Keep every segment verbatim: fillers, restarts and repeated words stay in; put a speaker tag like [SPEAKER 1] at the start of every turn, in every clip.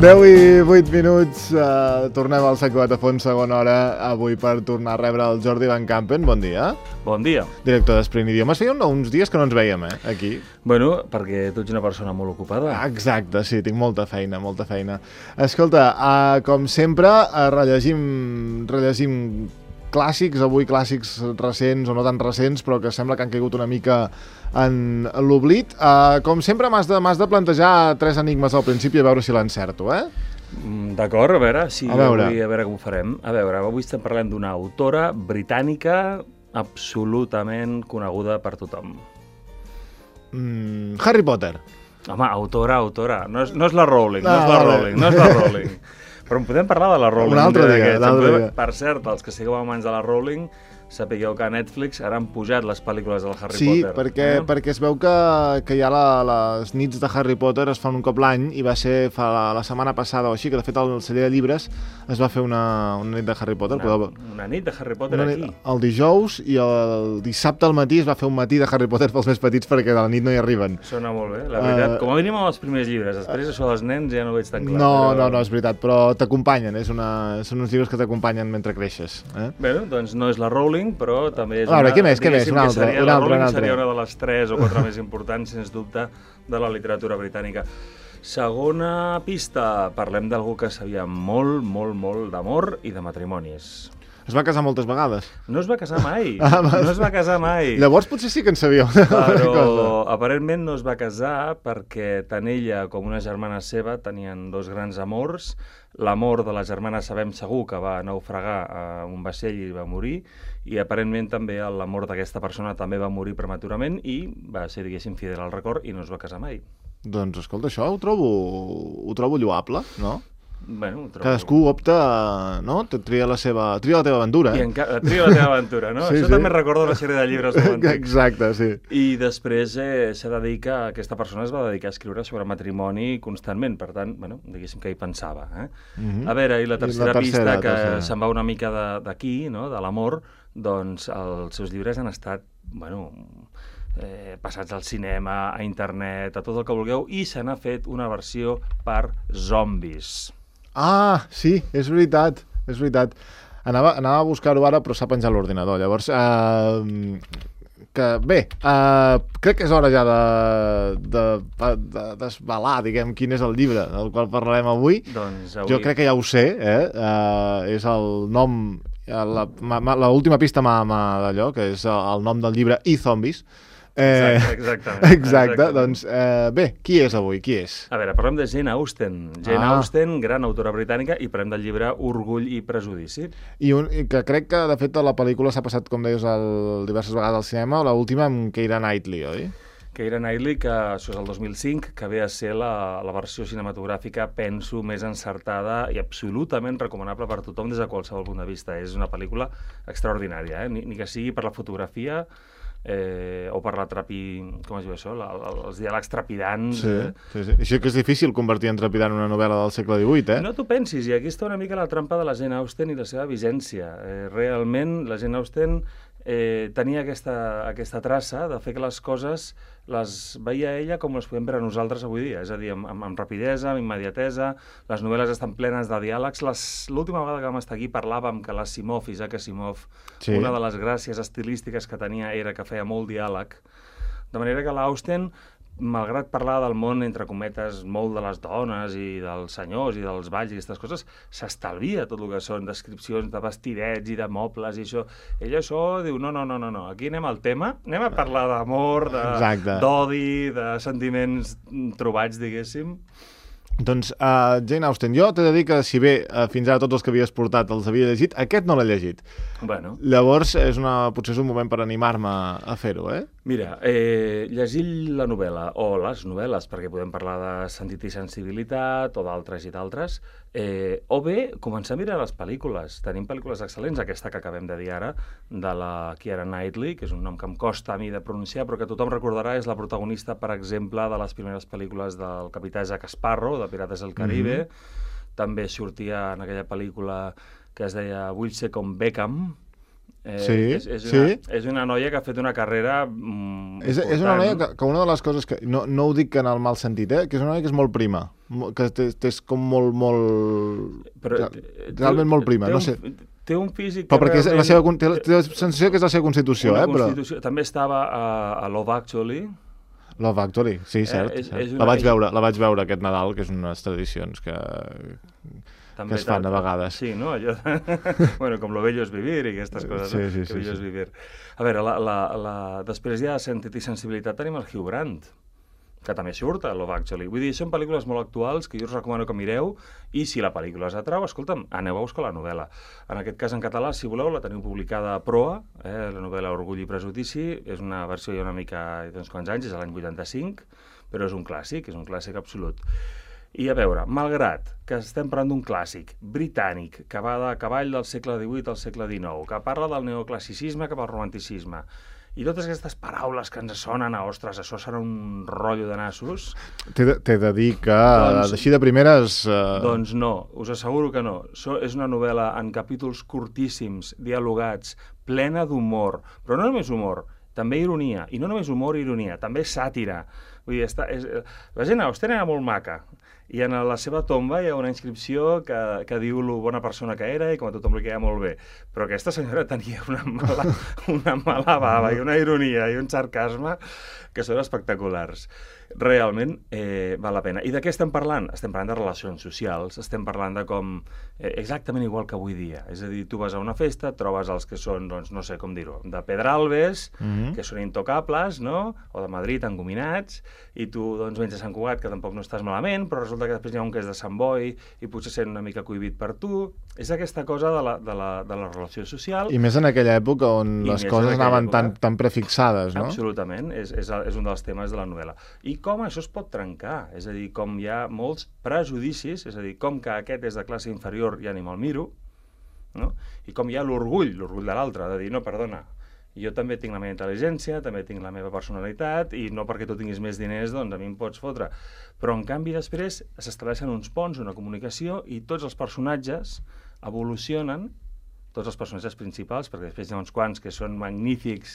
[SPEAKER 1] deu i vuit minuts, uh, tornem al Secret de Fons, segona hora, avui per tornar a rebre el Jordi Van Campen. Bon dia.
[SPEAKER 2] Bon dia.
[SPEAKER 1] Director d'Esprint Idiomes. Feia uns dies que no ens veiem, eh, aquí.
[SPEAKER 2] Bueno, perquè tu ets una persona molt ocupada.
[SPEAKER 1] Exacte, sí, tinc molta feina, molta feina. Escolta, uh, com sempre, uh, rellegim, rellegim clàssics, avui clàssics recents o no tan recents, però que sembla que han caigut una mica en l'oblit. Uh, com sempre, m'has de, m'has de plantejar tres enigmes al principi a veure si l'encerto, eh?
[SPEAKER 2] D'acord, a veure, si
[SPEAKER 1] a veure.
[SPEAKER 2] Avui, a veure com ho farem. A veure, avui estem parlant d'una autora britànica absolutament coneguda per tothom.
[SPEAKER 1] Mm, Harry Potter.
[SPEAKER 2] Home, autora, autora. No és, no és la Rowling, no,
[SPEAKER 1] No,
[SPEAKER 2] és la
[SPEAKER 1] vale.
[SPEAKER 2] Rowling, no és la Rowling. Però en podem parlar de la Rowling.
[SPEAKER 1] Un altre dia, un altre dia.
[SPEAKER 2] Per cert, els que sigueu amants de la Rowling, sapigueu que a Netflix ara han pujat les pel·lícules del Harry
[SPEAKER 1] sí,
[SPEAKER 2] Potter.
[SPEAKER 1] perquè,
[SPEAKER 2] eh?
[SPEAKER 1] perquè es veu que, que ja la, les nits de Harry Potter es fan un cop l'any i va ser fa la, la setmana passada o així, que de fet el celler de llibres es va fer una, una nit de Harry Potter.
[SPEAKER 2] Una,
[SPEAKER 1] Podeu...
[SPEAKER 2] una nit de Harry Potter
[SPEAKER 1] una
[SPEAKER 2] aquí.
[SPEAKER 1] nit, el dijous i el dissabte al matí es va fer un matí de Harry Potter pels més petits perquè de la nit no hi arriben.
[SPEAKER 2] Sona molt bé, la veritat.
[SPEAKER 1] Uh,
[SPEAKER 2] Com a mínim amb els primers llibres. Després això dels nens ja no ho veig tan clar.
[SPEAKER 1] No,
[SPEAKER 2] però...
[SPEAKER 1] no, no, és veritat, però t'acompanyen, és una, són uns llibres que t'acompanyen mentre creixes. Eh?
[SPEAKER 2] Bé, doncs no és la Rowling, però també és
[SPEAKER 1] a veure,
[SPEAKER 2] una...
[SPEAKER 1] què més, què més? Un altre,
[SPEAKER 2] seria,
[SPEAKER 1] un
[SPEAKER 2] la
[SPEAKER 1] altre,
[SPEAKER 2] Rowling
[SPEAKER 1] un altre.
[SPEAKER 2] seria una de les tres o quatre més importants, sens dubte, de la literatura britànica. Segona pista, parlem d'algú que sabia molt, molt, molt d'amor i de matrimonis.
[SPEAKER 1] Es va casar moltes vegades.
[SPEAKER 2] No es va casar mai,
[SPEAKER 1] Ah,
[SPEAKER 2] no es va casar mai.
[SPEAKER 1] Llavors potser sí que en sabíeu.
[SPEAKER 2] Però aparentment no es va casar perquè tant ella com una germana seva tenien dos grans amors. L'amor de la germana sabem segur que va naufragar a un vaixell i va morir, i aparentment també l'amor d'aquesta persona també va morir prematurament i va ser, diguéssim, fidel al record i no es va casar mai.
[SPEAKER 1] Doncs escolta, això ho trobo, ho trobo lloable, no?
[SPEAKER 2] Bueno, ho trobo...
[SPEAKER 1] Cadascú opta, no? Tria la seva, tria la teva aventura.
[SPEAKER 2] I encara tria la teva aventura, no?
[SPEAKER 1] Sí,
[SPEAKER 2] Això
[SPEAKER 1] sí.
[SPEAKER 2] també recorda una sèrie de llibres molt antics.
[SPEAKER 1] Exacte, sí.
[SPEAKER 2] I després eh, s'ha de dir que aquesta persona es va dedicar a escriure sobre matrimoni constantment, per tant, bueno, diguéssim que hi pensava. Eh?
[SPEAKER 1] Mm-hmm.
[SPEAKER 2] A veure, i la tercera,
[SPEAKER 1] I la tercera
[SPEAKER 2] pista, que
[SPEAKER 1] tercera.
[SPEAKER 2] se'n va una mica d'aquí, no? De l'amor, doncs els seus llibres han estat, bueno, eh, passats al cinema, a internet, a tot el que vulgueu, i se n'ha fet una versió per zombis.
[SPEAKER 1] Ah, sí, és veritat, és veritat. Anava, anava a buscar-ho ara, però s'ha penjat l'ordinador. Llavors, eh, que bé, eh, crec que és hora ja de, de, de desvelar, diguem, quin és el llibre del qual parlarem avui.
[SPEAKER 2] Doncs avui...
[SPEAKER 1] Jo crec que ja ho sé, eh? eh és el nom, l'última pista m'ha d'allò, que és el nom del llibre I Zombies. Eh,
[SPEAKER 2] Exacte, exactament.
[SPEAKER 1] Exacte,
[SPEAKER 2] exactament.
[SPEAKER 1] doncs eh, bé, qui és avui? Qui és?
[SPEAKER 2] A veure, parlem de Jane Austen. Jane
[SPEAKER 1] Ah.
[SPEAKER 2] Austen, gran autora britànica, i parlem del llibre Orgull i prejudici.
[SPEAKER 1] I, un, i que crec que, de fet, la pel·lícula s'ha passat, com deies, el, diverses vegades al cinema, l'última amb Keira Knightley, oi?
[SPEAKER 2] Keira Knightley, que això és el dos mil cinc, que ve a ser la, la versió cinematogràfica, penso, més encertada i absolutament recomanable per tothom des de qualsevol punt de vista. És una pel·lícula extraordinària, eh? ni, ni que sigui per la fotografia, Eh, o per la trapi... com es diu això? La, la, els diàlegs trepidants.
[SPEAKER 1] Sí,
[SPEAKER 2] eh?
[SPEAKER 1] sí, sí. Això que és difícil convertir en trepidant una novel·la del segle divuit, eh?
[SPEAKER 2] No t'ho pensis, i aquí està una mica la trampa de la Jane Austen i la seva vigència. Eh, realment, la Jane Austen eh, tenia aquesta, aquesta traça de fer que les coses les veia ella com les podem veure nosaltres avui dia, és a dir, amb, amb, amb rapidesa, amb immediatesa, les novel·les estan plenes de diàlegs. L'última vegada que vam estar aquí parlàvem que l'Asimov, Isaac Asimov,
[SPEAKER 1] Sí.
[SPEAKER 2] una de les gràcies estilístiques que tenia era que feia molt diàleg, de manera que l'Austen, malgrat parlar del món, entre cometes, molt de les dones i dels senyors i dels balls i aquestes coses, s'estalvia tot el que són descripcions de vestidets i de mobles i això. Ella això diu, no, no, no, no, no. Aquí anem al tema, anem a parlar d'amor, d'odi, de, de sentiments trobats, diguéssim.
[SPEAKER 1] Doncs uh, Jane Austen, jo t'he de dir que si bé uh, fins ara tots els que havies portat els havia llegit, aquest no l'he llegit.
[SPEAKER 2] Bueno.
[SPEAKER 1] Llavors és una, potser és un moment per animar-me a fer-ho, eh?
[SPEAKER 2] Mira, eh, llegir la novel·la o les novel·les, perquè podem parlar de sentit i sensibilitat o d'altres i d'altres, eh, o bé començar a mirar les pel·lícules. Tenim pel·lícules excel·lents, aquesta que acabem de dir ara, de la Keira Knightley, que és un nom que em costa a mi de pronunciar, però que tothom recordarà, és la protagonista, per exemple, de les primeres pel·lícules del capità Jack Sparrow, de Pirates del Caribe. Mm-hmm. També sortia en aquella pel·lícula que es deia Vull ser com Beckham. Eh,
[SPEAKER 1] sí,
[SPEAKER 2] és, és, una,
[SPEAKER 1] sí.
[SPEAKER 2] és una noia que ha fet una carrera mm,
[SPEAKER 1] és, és una noia que, que una de les coses que... No, no ho dic en el mal sentit, eh? Que és una noia que és molt prima. que és com molt, molt...
[SPEAKER 2] Però,
[SPEAKER 1] realment molt prima, no sé.
[SPEAKER 2] Té un físic...
[SPEAKER 1] Però perquè realment... la seva, té, la, té la sensació que és la seva constitució,
[SPEAKER 2] una
[SPEAKER 1] eh?
[SPEAKER 2] Constitució.
[SPEAKER 1] Però...
[SPEAKER 2] També estava a, a Love Actually.
[SPEAKER 1] Love Actually, sí, cert. Eh, és, cert. És una... la, vaig veure, la vaig veure aquest Nadal, que és unes tradicions que, també que es fan a vegades.
[SPEAKER 2] Sí, no? Allò... bueno, com Lo bello es vivir i aquestes coses,
[SPEAKER 1] sí, sí,
[SPEAKER 2] no? Que
[SPEAKER 1] sí,
[SPEAKER 2] bello
[SPEAKER 1] sí.
[SPEAKER 2] es vivir. A veure, la, la, la... després ja de Sentit i sensibilitat tenim el Hugh Grant, que també surt a Love Actually. Vull dir, són pel·lícules molt actuals que jo us recomano que mireu i si la pel·lícula us atrau, escolta'm, aneu a buscar la novel·la. En aquest cas, en català, si voleu, la teniu publicada a Proa, eh, la novel·la Orgull i prejudici, és una versió ja una mica d'uns quants anys, és l'any vuitanta-cinc, però és un clàssic, és un clàssic absolut. I a veure, malgrat que estem parlant d'un clàssic britànic que va de cavall del segle divuit al segle dinou, que parla del neoclassicisme cap al romanticisme, i totes aquestes paraules que ens sonen a, ostres, això serà un rotllo de nassos...
[SPEAKER 1] T'he de, de dir que, doncs, així de primeres... Uh...
[SPEAKER 2] Doncs no, us asseguro que no. So, és una novel·la en capítols curtíssims, dialogats, plena d'humor, però no només humor, també ironia, i no només humor i ironia, també sàtira. Vull dir, està, és, la gent Austen era molt maca, i en la seva tomba hi ha una inscripció que, que diu lo bona persona que era i com a tothom li queia molt bé. Però aquesta senyora tenia una mala, una mala bava i una ironia i un sarcasme que són espectaculars. Realment eh, val la pena. I de què estem parlant? Estem parlant de relacions socials, estem parlant de com... Eh, exactament igual que avui dia. És a dir, tu vas a una festa, trobes els que són, doncs, no sé com dir-ho, de Pedralbes, mm-hmm. que són intocables, no? O de Madrid, engominats, i tu, doncs, vens a Sant Cugat, que tampoc no estàs malament, però resulta que després hi ha un que és de Sant Boi i potser sent una mica cohibit per tu. És aquesta cosa de la, de la, de la relació social.
[SPEAKER 1] I més en aquella època on I les coses anaven època, tan, tan prefixades, no?
[SPEAKER 2] Absolutament. És, és, és un dels temes de la novel·la. I com això es pot trencar, és a dir, com hi ha molts prejudicis, és a dir, com que aquest és de classe inferior ja ni me'l miro, no? I com hi ha l'orgull, l'orgull de l'altre, de dir, no, perdona, jo també tinc la meva intel·ligència, també tinc la meva personalitat, i no perquè tu tinguis més diners, doncs a mi em pots fotre. Però, en canvi, després s'estableixen uns ponts, una comunicació, i tots els personatges evolucionen, tots els personatges principals, perquè després hi ha uns quants que són magnífics,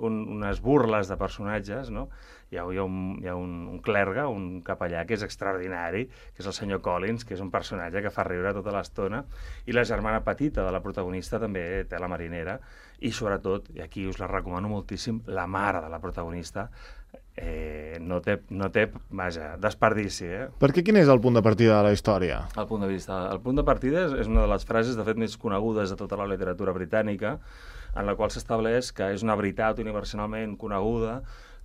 [SPEAKER 2] un, unes burles de personatges, no? Hi ha, hi ha, un, hi ha un, un clergue, un capellà, que és extraordinari, que és el senyor Collins, que és un personatge que fa riure tota l'estona, i la germana petita de la protagonista també té la marinera, i sobretot, i aquí us la recomano moltíssim, la mare de la protagonista, Eh, no té, no té, vaja, desperdici, eh?
[SPEAKER 1] Per què quin és el punt de partida de la història?
[SPEAKER 2] El punt de vista, el punt de partida és, és una de les frases, de fet, més conegudes de tota la literatura britànica, en la qual s'estableix que és una veritat universalment coneguda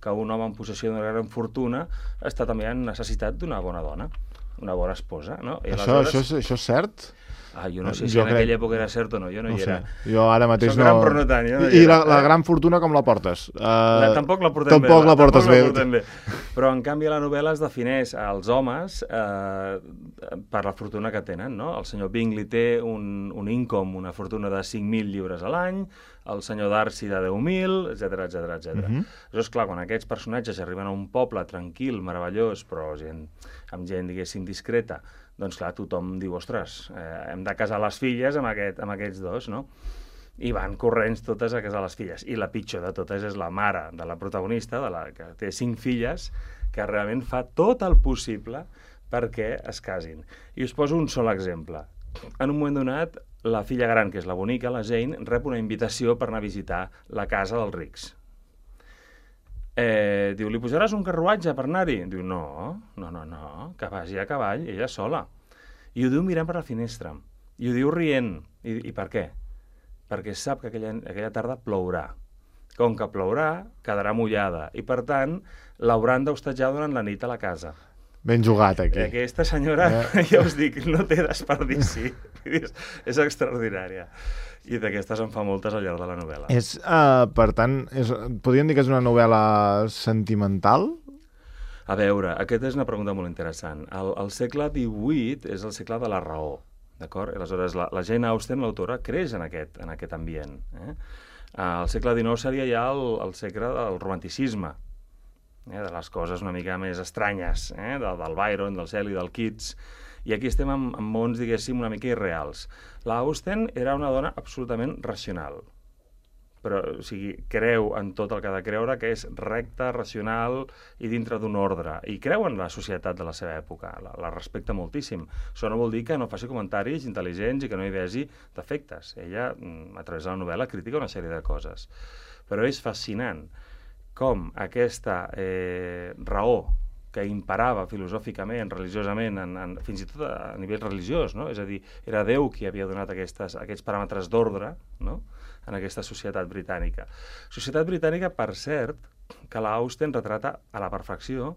[SPEAKER 2] que un home en possessió d'una gran fortuna està també en necessitat d'una bona dona, una bona esposa, no? I
[SPEAKER 1] això, aleshores... això, és, això és cert?
[SPEAKER 2] Ah, jo no sé si jo en crec... aquella època era cert o no, jo no, no hi era.
[SPEAKER 1] Sé. Jo ara mateix
[SPEAKER 2] Soc
[SPEAKER 1] no...
[SPEAKER 2] gran però no tant, jo no
[SPEAKER 1] I,
[SPEAKER 2] hi
[SPEAKER 1] era. I la, la
[SPEAKER 2] eh?
[SPEAKER 1] gran fortuna com la portes? Uh...
[SPEAKER 2] La, tampoc la portem
[SPEAKER 1] tampoc
[SPEAKER 2] bé.
[SPEAKER 1] La portes
[SPEAKER 2] tampoc
[SPEAKER 1] bé.
[SPEAKER 2] La portem bé. Però, en canvi, la novel·la es defineix als homes eh, per la fortuna que tenen, no? El senyor Bingley té un, un income, una fortuna de cinc mil lliures a l'any, el senyor Darcy de deu mil, etcètera, etcètera, etcètera. Uh-huh. Llavors, clar, quan aquests personatges arriben a un poble tranquil, meravellós, però gent, amb gent, diguéssim, discreta, doncs clar, tothom diu, ostres, eh, hem de casar les filles amb, aquest, amb aquests dos, no? I van corrents totes a casar les filles. I la pitjor de totes és la mare de la protagonista, de la que té cinc filles, que realment fa tot el possible perquè es casin. I us poso un sol exemple. En un moment donat, la filla gran, que és la bonica, la Jane, rep una invitació per anar a visitar la casa dels rics. Eh, diu, li posaràs un carruatge per anar-hi? Diu, no, no, no, no, que vagi a cavall, ella sola. I ho diu mirant per la finestra. I ho diu rient. I, i per què? Perquè sap que aquella, aquella tarda plourà. Com que plourà, quedarà mullada. I, per tant, l'hauran d'hostatjar durant la nit a la casa.
[SPEAKER 1] Ben jugat, aquí.
[SPEAKER 2] Aquesta senyora, eh? Ja us dic, no té desperdici. és, és extraordinària. I d'aquestes en fa moltes al llarg de la novel·la.
[SPEAKER 1] És, uh, per tant, és, podríem dir que és una novel·la sentimental?
[SPEAKER 2] A veure, aquesta és una pregunta molt interessant. El, el segle divuit és el segle de la raó, d'acord? Aleshores, la, la Jane Austen, l'autora, creix en aquest, en aquest ambient. Eh? El segle dinou seria ja el, el segle del romanticisme, eh? de les coses una mica més estranyes, eh? del, del Byron, del Shelley, del Keats. I aquí estem en, en mons, diguéssim, una mica irreals. La Austen era una dona absolutament racional. però o sigui, creu en tot el que ha de creure, que és recte, racional i dintre d'un ordre. I creu en la societat de la seva època, la, la respecta moltíssim. Això no vol dir que no faci comentaris intel·ligents i que no hi vegi defectes. Ella, a través de la novel·la, critica una sèrie de coses. Però és fascinant com aquesta eh, raó que imperava filosòficament, religiosament, en, en, fins i tot a nivell religiós, no? És a dir, era Déu qui havia donat aquestes, aquests paràmetres d'ordre, no?, en aquesta societat britànica. Societat britànica, per cert, que la Austen retrata a la perfecció,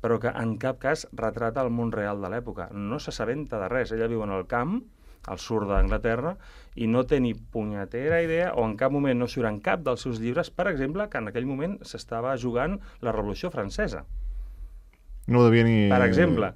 [SPEAKER 2] però que en cap cas retrata el món real de l'època. No s'assabenta de res. Ella viu en el camp, al sud d'Anglaterra, i no té ni punyetera idea, o en cap moment no surt en cap dels seus llibres, per exemple, que en aquell moment s'estava jugant la Revolució Francesa.
[SPEAKER 1] No ho devia ni...
[SPEAKER 2] Per exemple,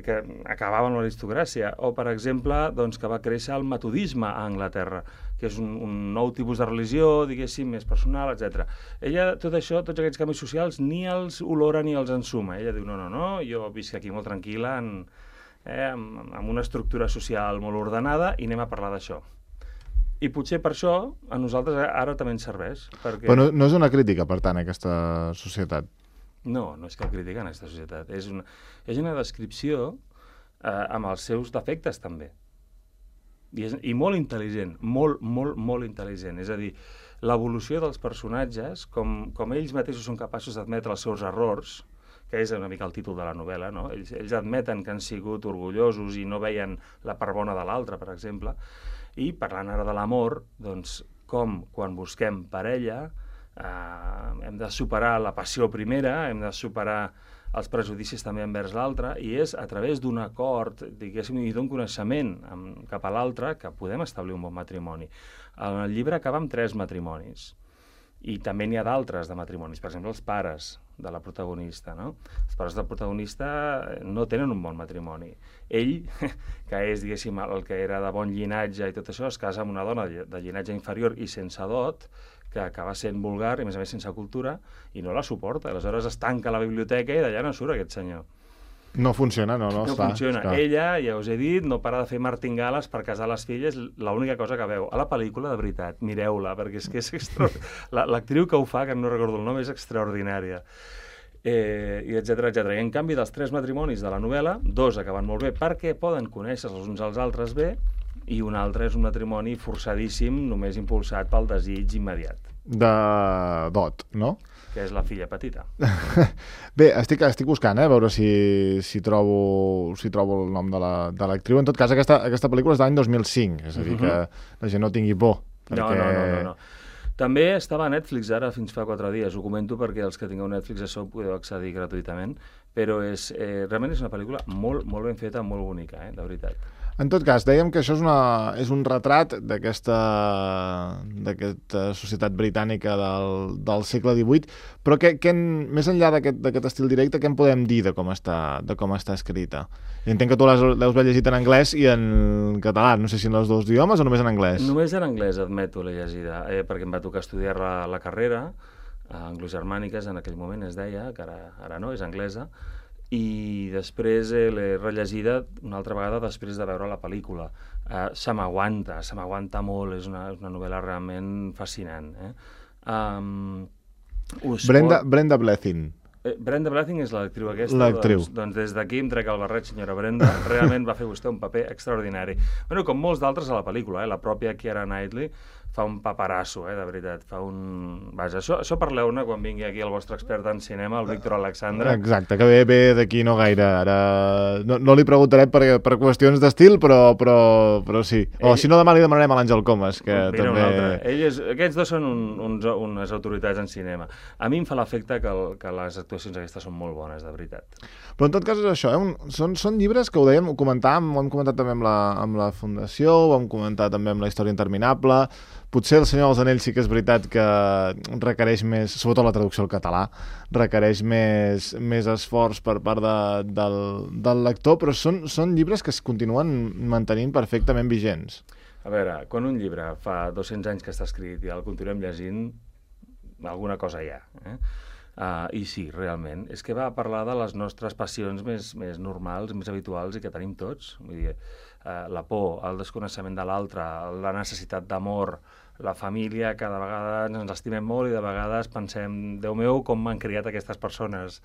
[SPEAKER 2] que acabava amb l'aristocràcia, o per exemple, doncs, que va créixer el metodisme a Anglaterra, que és un, un nou tipus de religió, diguéssim, més personal, etcètera. Ella, tot això, tots aquests canvis socials, ni els olora ni els ensuma. Ella diu, no, no, no, jo visc aquí molt tranquil·la, en, eh, amb, amb una estructura social molt ordenada, i anem a parlar d'això. I potser per això a nosaltres ara també ens serveix. Perquè...
[SPEAKER 1] Però no, no és una crítica, per tant, aquesta societat.
[SPEAKER 2] No, no és que critiquen aquesta societat. És una, és una descripció eh, amb els seus defectes, també. I, és, I molt intel·ligent, molt, molt, molt intel·ligent. És a dir, l'evolució dels personatges, com, com ells mateixos són capaços d'admetre els seus errors, que és una mica el títol de la novel·la, no? Ells, ells admeten que han sigut orgullosos i no veien la part bona de l'altre, per exemple. I parlant ara de l'amor, doncs, com quan busquem parella, Uh, hem de superar la passió primera, hem de superar els prejudicis també envers l'altre, i és a través d'un acord, diguéssim, i d'un coneixement amb, cap a l'altre que podem establir un bon matrimoni. El llibre acaba amb tres matrimonis, i també n'hi ha d'altres de matrimonis, per exemple, els pares de la protagonista, no? Els pares del protagonista no tenen un bon matrimoni. Ell, que és, diguéssim, el que era de bon llinatge i tot això, es casa amb una dona de llinatge inferior i sense dot, que acaba sent vulgar i, a més a més, sense cultura, i no la suporta. Aleshores es tanca a la biblioteca i d'allà no surt aquest senyor.
[SPEAKER 1] No funciona, no, no.
[SPEAKER 2] No
[SPEAKER 1] està,
[SPEAKER 2] funciona.
[SPEAKER 1] està.
[SPEAKER 2] Ella, ja us he dit, no para de fer martingales per casar les filles, l'única cosa que veu. A la pel·lícula, de veritat, mireu-la, perquè és que és extraordinària. L'actriu que ho fa, que no recordo el nom, és extraordinària. Eh, i etcètera, etcètera. I en canvi, dels tres matrimonis de la novel·la, dos acaben molt bé perquè poden conèixer els uns als altres bé, i un altre és un matrimoni forçadíssim, només impulsat pel desig immediat.
[SPEAKER 1] De dot, no?
[SPEAKER 2] Que és la filla petita.
[SPEAKER 1] Bé, estic, estic buscant, eh, a veure si, si, trobo, si trobo el nom de l'actriu. La, en tot cas, aquesta, aquesta pel·lícula és de l'any dos mil cinc, és a dir, uh-huh. que la gent no tingui por. Perquè...
[SPEAKER 2] No, no, no, no, no. També estava a Netflix ara fins fa quatre dies, ho comento perquè els que tingueu Netflix això ho podeu accedir gratuïtament, però és, eh, realment és una pel·lícula molt, molt ben feta, molt bonica, eh, de veritat.
[SPEAKER 1] En tot cas, dèiem que això és, una, és un retrat d'aquesta societat britànica del, del segle divuit, però que, que en, més enllà d'aquest estil directe, què en podem dir de com està, de com està escrita? I entenc que tu l'has haver llegit en anglès i en català, no sé si en els dos idiomes o només en anglès?
[SPEAKER 2] Només en anglès, admeto, l'he llegida, eh, perquè em va tocar estudiar la, la carrera, a anglogermàniques, en aquell moment es deia, que ara, ara no, és anglesa, i després eh, l'he rellegida una altra vegada després de veure la pel·lícula. Uh, se m'aguanta, se m'aguanta molt, és una, una novel·la realment fascinant. Eh? Um,
[SPEAKER 1] Brenda, pot... Brenda Blethyn.
[SPEAKER 2] Eh, Brenda Blethyn és l'actriu aquesta.
[SPEAKER 1] L'actriu.
[SPEAKER 2] Doncs, doncs des d'aquí em trec el barret, senyora Brenda. Realment va fer vostè un paper extraordinari. Bueno, com molts d'altres a la pel·lícula, eh? La pròpia Keira Knightley fa un paparasso, eh, de veritat. Fa un... Vaja, això, això parleu-ne quan vingui aquí el vostre expert en cinema, el Víctor Alexandre.
[SPEAKER 1] Exacte, que ve, ve d'aquí no gaire. Ara no, no li preguntaré per, per qüestions d'estil, però, però, però sí. O Ell... si no, demà li demanarem a l'Àngel Comas, que
[SPEAKER 2] Mira,
[SPEAKER 1] també...
[SPEAKER 2] Ell és... Aquests dos són un, uns, unes autoritats en cinema. A mi em fa l'efecte que, el, que les actuacions aquestes són molt bones, de veritat.
[SPEAKER 1] Però en tot cas és això, eh? un, són, són llibres que ho dèiem, ho comentàvem, ho hem comentat també amb la, amb la Fundació, ho hem comentat també amb la Història Interminable. Potser El Senyor dels Anells sí que és veritat que requereix més, sobretot la traducció al català, requereix més, més esforç per part de, del, del lector, però són, són llibres que es continuen mantenint perfectament vigents.
[SPEAKER 2] A veure, quan un llibre fa dos-cents anys que està escrit i el continuem llegint, alguna cosa hi ha. Eh? Uh, I sí, realment. És que va parlar de les nostres passions més, més normals, més habituals i que tenim tots. Vull dir, uh, la por, el desconeixement de l'altre, la necessitat d'amor, la família, cada vegada ens estimem molt i de vegades pensem, Déu meu, com m'han criat aquestes persones.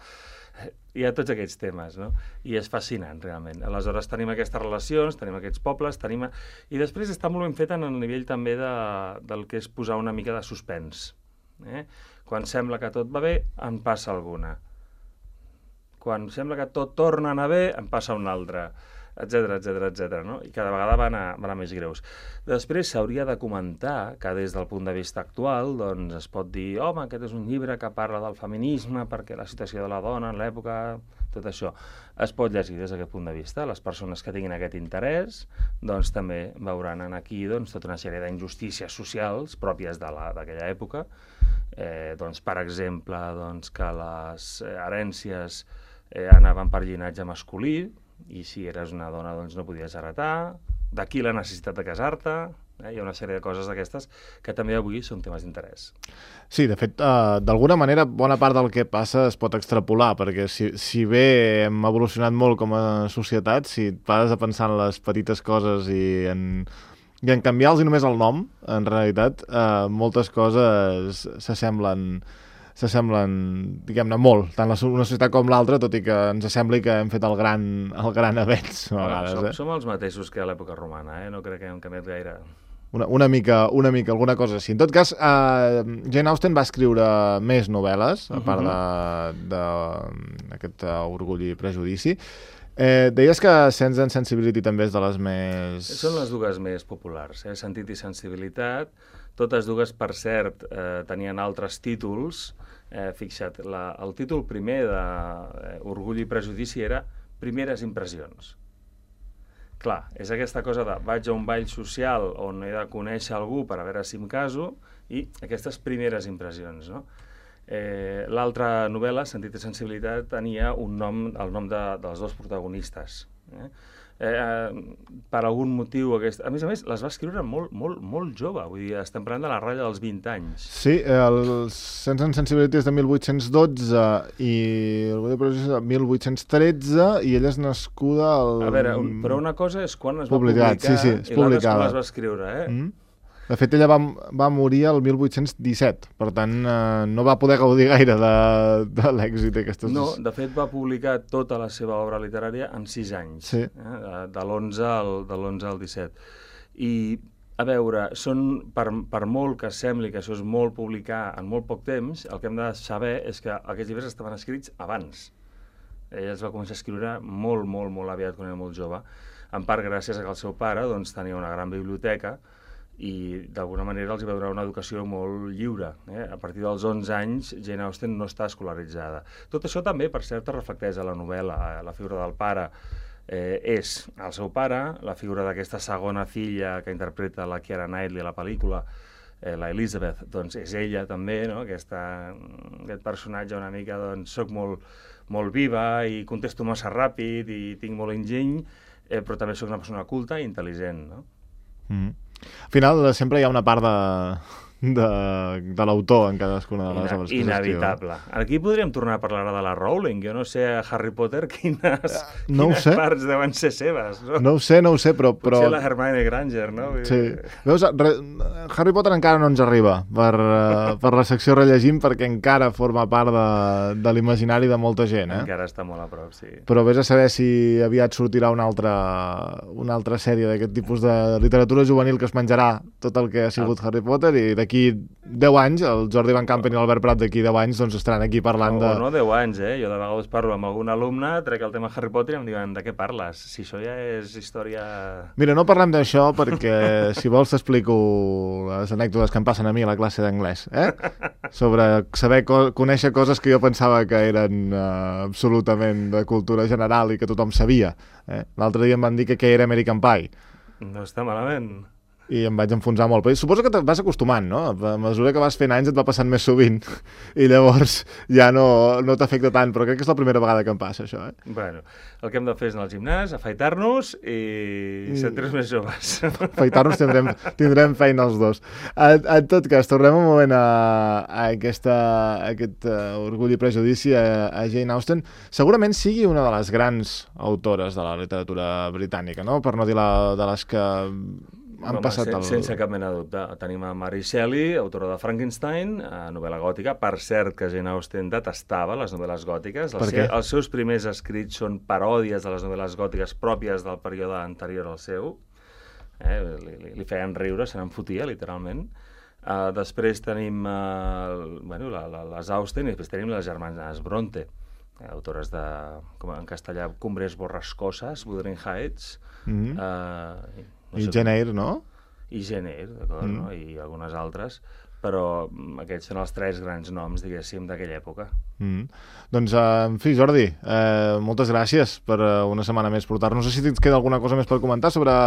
[SPEAKER 2] Hi ha tots aquests temes, no? I és fascinant, realment. Aleshores tenim aquestes relacions, tenim aquests pobles, tenim... I després està molt ben fet en el nivell també de, del que és posar una mica de suspens. Eh? Quan sembla que tot va bé, en passa alguna. Quan sembla que tot torna a anar bé, en passa una altra, etcètera, etcètera, etcètera, no? I cada vegada van a, van a més greus. Després s'hauria de comentar que des del punt de vista actual doncs es pot dir, home, aquest és un llibre que parla del feminisme perquè la situació de la dona en l'època, tot això. Es pot llegir des d'aquest punt de vista. Les persones que tinguin aquest interès doncs també veuran aquí doncs, tota una sèrie d'injustícies socials pròpies de la, d'aquella època. Eh, doncs, per exemple, doncs, que les herències eh, anaven per llinatge masculí, i si eres una dona doncs no podies heretar, d'aquí la necessitat de casar-te, eh? Hi ha una sèrie de coses d'aquestes que també avui són temes d'interès.
[SPEAKER 1] Sí, de fet, uh, d'alguna manera bona part del que passa es pot extrapolar, perquè si, si bé hem evolucionat molt com a societat, si et pares a pensar en les petites coses i en, i en canviar-los només el nom, en realitat, uh, moltes coses s'assemblen s'assemblen, diguem-ne, molt, tant la, una societat com l'altra, tot i que ens sembli que hem fet el gran, el gran avenç, a vegades.
[SPEAKER 2] Som,
[SPEAKER 1] eh?
[SPEAKER 2] som els mateixos que a l'època romana, eh? No crec que hem canviat gaire.
[SPEAKER 1] Una, una, mica, una mica, alguna cosa així. En tot cas, uh, Jane Austen va escriure més novel·les, a part d'aquest uh, Orgull i Prejudici. Eh, deies que Sense and Sensibility també és de les més...
[SPEAKER 2] Són les dues més populars, eh? Sentit i sensibilitat. Totes dues, per cert, eh, tenien altres títols. Eh, fixa't, la, el títol primer de eh, Orgull i Prejudici era Primeres impressions. Clar, és aquesta cosa de vaig a un ball social on he de conèixer algú per a veure si em caso, i aquestes primeres impressions, no? Eh, L'altra novel·la, Sentit i sensibilitat, tenia un nom, el nom de, dels dos protagonistes. Eh? Eh, per algun motiu, aquest... a més a més, les va escriure molt, molt, molt jove, vull dir, estem parlant de la ratlla dels vint anys.
[SPEAKER 1] Sí, el Sense and Sensibility és de mil vuit-cents dotze i el és de mil vuit-cents tretze i ella és nascuda al...
[SPEAKER 2] A veure, un, però una cosa és quan es va
[SPEAKER 1] publicat,
[SPEAKER 2] publicar
[SPEAKER 1] sí, sí,
[SPEAKER 2] i l'altra és quan les va escriure, eh? Mm?
[SPEAKER 1] De fet, ella va, va morir el mil vuit-cents disset, per tant, eh, no va poder gaudir gaire de, de l'èxit d'aquestes...
[SPEAKER 2] No, de fet, va publicar tota la seva obra literària en sis anys,
[SPEAKER 1] sí.
[SPEAKER 2] eh? de l'onze al, de l'onze al disset. I, a veure, són, per, per molt que sembli que això és molt publicar en molt poc temps, el que hem de saber és que aquests llibres estaven escrits abans. Ella es va començar a escriure molt, molt, molt aviat, quan era molt jove, en part gràcies a que el seu pare doncs, tenia una gran biblioteca, i d'alguna manera els va donar una educació molt lliure. Eh? A partir dels onze anys, Jane Austen no està escolaritzada. Tot això també, per cert, reflecteix a la novel·la. La figura del pare eh, és el seu pare, la figura d'aquesta segona filla que interpreta la Keira Knightley a la pel·lícula, eh, la Elizabeth, doncs és ella també, no? Aquesta, aquest personatge una mica, doncs, soc molt, molt viva i contesto massa ràpid i tinc molt enginy, eh, però també soc una persona culta i intel·ligent, no?
[SPEAKER 1] Mm. Al final sempre hi ha una part de, de, de l'autor en cadascuna de les
[SPEAKER 2] Ina,
[SPEAKER 1] obres que
[SPEAKER 2] inevitable. Aquí podríem tornar a parlar de la Rowling. Jo no sé a Harry Potter quines,
[SPEAKER 1] no
[SPEAKER 2] quines
[SPEAKER 1] sé.
[SPEAKER 2] parts deuen ser seves. No,
[SPEAKER 1] no ho sé, no ho sé, però... però...
[SPEAKER 2] Potser la Hermione Granger, no?
[SPEAKER 1] Sí. Veus, re... Harry Potter encara no ens arriba per, uh, per la secció rellegim perquè encara forma part de, de l'imaginari de molta gent. Eh?
[SPEAKER 2] Encara està molt a prop, sí.
[SPEAKER 1] Però vés a saber si aviat sortirà una altra, una altra sèrie d'aquest tipus de literatura juvenil que es menjarà tot el que ha sigut ah. Harry Potter i d'aquí deu anys, el Jordi Van Campen i l'Albert Prat d'aquí deu anys doncs estaran aquí parlant
[SPEAKER 2] no,
[SPEAKER 1] de...
[SPEAKER 2] No deu anys, eh? Jo de vegades parlo amb algun alumne, trec el tema Harry Potter i em diuen de què parles? Si això ja és història...
[SPEAKER 1] Mira, no parlem d'això perquè si vols t'explico les anècdotes que em passen a mi a la classe d'anglès, eh? Sobre saber, co conèixer coses que jo pensava que eren uh, absolutament de cultura general i que tothom sabia. Eh? L'altre dia em van dir que què era American Pie.
[SPEAKER 2] No està malament.
[SPEAKER 1] i em vaig enfonsar molt. Però suposo que et vas acostumant, no? A mesura que vas fent anys et va passant més sovint i llavors ja no, no t'afecta tant, però crec que és la primera vegada que em passa això, eh?
[SPEAKER 2] Bueno, el que hem de fer és anar al gimnàs, afaitar-nos i mm. sentir-nos més joves.
[SPEAKER 1] Afaitar-nos tindrem, tindrem feina els dos. En, en tot cas, tornem un moment a, a, aquesta, a aquest uh, Orgull i Prejudici, a, a Jane Austen. Segurament sigui una de les grans autores de la literatura britànica, no? Per no dir la, de les que han
[SPEAKER 2] Home,
[SPEAKER 1] passat
[SPEAKER 2] sen,
[SPEAKER 1] el...
[SPEAKER 2] sense cap mena de dubte. Tenim a Mary Shelley, autora de Frankenstein, novel·la gòtica. Per cert, que Jane Austen detestava les novel·les gòtiques.
[SPEAKER 1] Per què?
[SPEAKER 2] Els seus primers escrits són paròdies de les novel·les gòtiques pròpies del període anterior al seu. Eh? Li, li, li feien riure, se n'en fotia, literalment. Uh, després tenim uh, bueno, la, la, les Austen i després tenim les germanes Bronte, eh, autores de, com en castellà, Cumbres borrascoses, Wuthering Heights... Mm-hmm. uh, No
[SPEAKER 1] I
[SPEAKER 2] sé
[SPEAKER 1] Jane Eyre, no?
[SPEAKER 2] I Jane Eyre, d'acord, mm. no? I algunes altres, però aquests són els tres grans noms, diguéssim, d'aquella època.
[SPEAKER 1] Mm. Doncs, uh, en fi, Jordi, uh, moltes gràcies per uh, una setmana més portar-nos. No sé si et queda alguna cosa més per comentar sobre,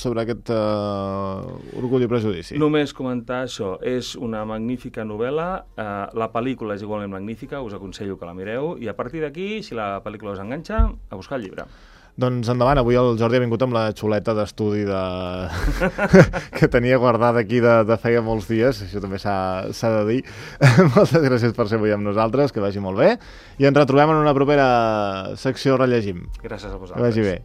[SPEAKER 1] sobre aquest uh, Orgull i Prejudici.
[SPEAKER 2] Només comentar això. És una magnífica novel·la, uh, la pel·lícula és igualment magnífica, us aconsello que la mireu, i a partir d'aquí, si la pel·lícula us enganxa, a buscar el llibre.
[SPEAKER 1] Doncs endavant, avui el Jordi ha vingut amb la xuleta d'estudi de... que tenia guardada aquí de, de feia molts dies, això també s'ha de dir. Moltes gràcies per ser avui amb nosaltres, que vagi molt bé, i ens retrobem en una propera secció Rellegim.
[SPEAKER 2] Gràcies a vosaltres.
[SPEAKER 1] Que vagi bé.